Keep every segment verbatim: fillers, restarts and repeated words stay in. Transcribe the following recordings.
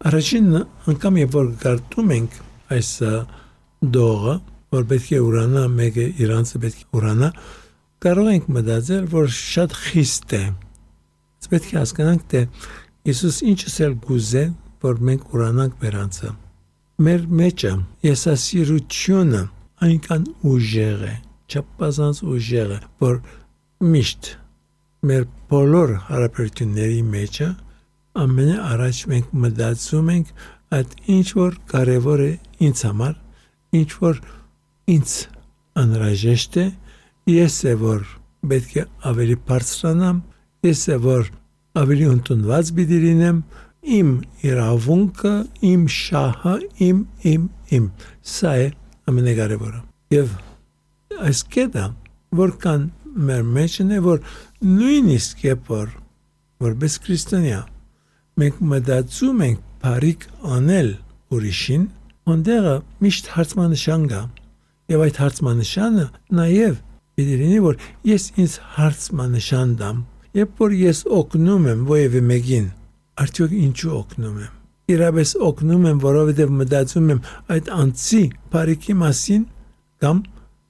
Առաջին անգամ երբ որ գարտում ենք այս դողը, որ պետք է ուրանա, մեկը իրանցը պետք է ուրանա, կարող ենք մտածել, որ շատ խիստ է։ Պետք է հասկանանք, թե Հիսուս ինչս էլ գուզե, որ մենք ուրանանք մերանցը։ Մեր մեջը եսասիրությունը այնքան ուժեղ է, չափազանց ուժեղ է, որ միշտ մեր բոլոր հարաբերությունների մեջը ամենաառաջ մենք մտածում ենք այդ ինչ որ կարևոր է ինձ համար, ինչ որ ինձ անհրաժեշտ է, ես է որ պետք է ավելի բարձրանամ, ես է որ ավելի ընդունված պիտի լինեմ, իմ իրավունքը, իմ շահը, իմ, իմ, իմ, սա է ամենակարևորը։ Եվ այս կետը, որքան մեր մեջն է, որ նույնիսկ երբ որ որպես քրիստոնյա մենք մտածում ենք բարիք անել ուրիշին, այնտեղը միշտ հարցմանշան կա։ Եվ այդ հարցմանշանը նաև պիտի լինի, որ ես ինձ հարցմանշան դամ, երբ որ ես օգնում եմ որևէ մեկին, արդյոք ինչու օգնում եմ։ Իրապես օգնում եմ, որովհետև մտածում եմ այդ անձի բարիքի մասին, կամ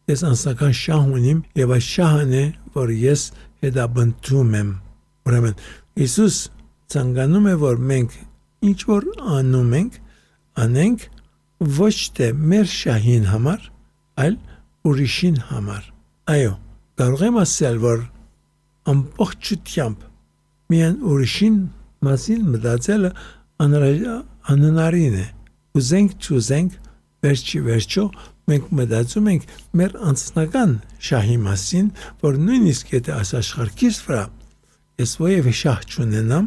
ես անձնական շահ ունիմ, եւ այդ շահն է, որ ես հետապնդում եմ։ Ուրեմն Հիսուս ցանկանում է, որ մենք ինչ որ անում ենք, անենք ոչ թե մեր շահին համար, այլ ուրիշին համար։ Այո, կարող եմ ասել, որ ամբողջությամբ միայն ուրիշին մասին մտածելը անհնարին է։ Ուզենք չուզենք, վերջի վերջո մենք մտածում ենք մեր անձնական շահի մասին, որ նույնիսկ եթե այս աշխարհքից վրա ես որևէ շահ չունենամ,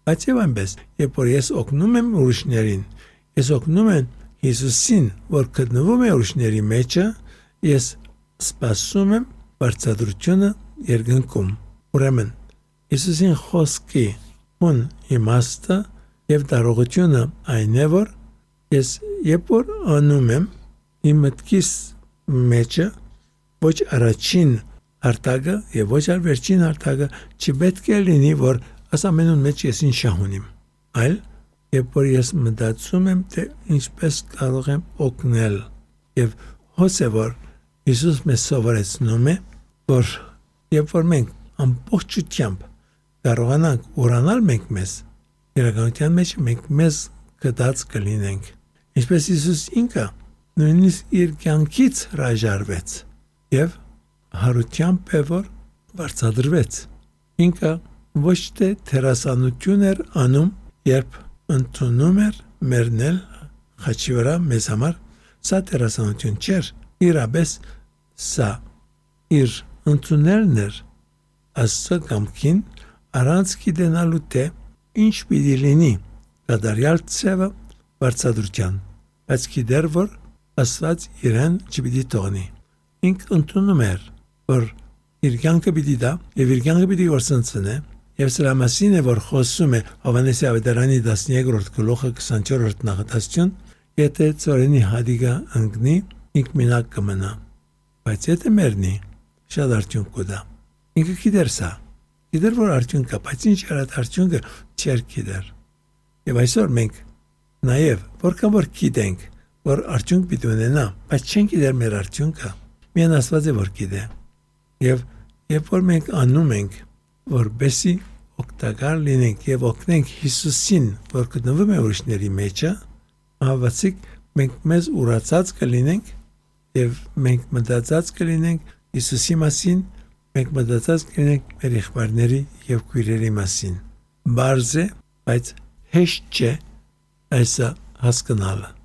բայց եւ այնպես, երբ որ ես օգնում եմ ուրիշներին, ես օգնում եմ Հիսուսին, որ գտնվում է ուրիշների մեջը, ես սպասում եմ բարձրությունը երկնքում։ Ուրեմն Հիսուսին խոսքի ուն իմաստը եւ դարողությունը այն է, որ ես երբ որ անում եմ իմ մտքիս մեջը ոչ առաջին արտագը եւ ոչ այլ վերջին արտագը չպետք է լինի, որ աս ամենուն մեջ ես ինչ շահ ունիմ, այլ երբ որ ես մտածում եմ, թե ինչպես կարող եմ օգնել եւ հոսե որ Հիսուս մեզ սովորեցնում է, որ երբ որ մենք ամբողջությամբ կարողանանք ուրանալ մենք մեզ, իրականության մեջ մենք մեզ կդած կլինենք։ Ինչպես Հիսուս ինքը նույնիսկ իր կյանքից հրաժարվեց եւ հարությամբ է որ վարձատրվեց։ Ինքը ոչ թե թերասանություն էր անում, երբ ընդունում էր մեռնել խաչի վրա մեզ համար, սա թերասանություն չէր, իրապես սա իր ընդունելն էր Աստծո կամքին առանց գիտենալու թե ինչ պիտի լինի կատարյալ ցևը վարձատրության, բայց գիտեր որ Աստված իրեն չպիտի թողնի։ Ինք ընդունում էր, որ իր կյանքը պիտի դա եւ իր կյանքը պիտի որսնցնե, եւ սրա մասին է որ խոսում է Հովհաննես ավետարանի տասներորդ գլուխը քսանչորրորդ նախադասություն, եթե ծորենի հադիգա ընկնի, ինք մենակ կմնա, բայց եթե մեռնի, շատ արդյունք կտա։ Ինքը գիտեր սա, գիտեր որ արդյունք կա, բայց ինչ էր այդ արդյունքը չէր գիտեր։ Եվ այսօր մենք նաեւ որքան որ գիտենք, որ արդյունք պիտի ունենա, բայց չենք գիտեր մեր արդյունքը, միայն Աստված է որ գիտե։ Եվ երբ որ մենք անում ենք, որպեսզի օգտակար լինենք եւ օգնենք Հիսուսին, որ գտնվում է ուրիշների մեջը, հավատացիք մենք մեզ ուրացած կլինենք եւ մենք մտածած կլինենք Հիսուսի մասին, մենք մտածած կլինենք մեր եղբայրների եւ քույրերի մասին։ Բարձ է, բայց հեշտ չէ այս հասկանալը։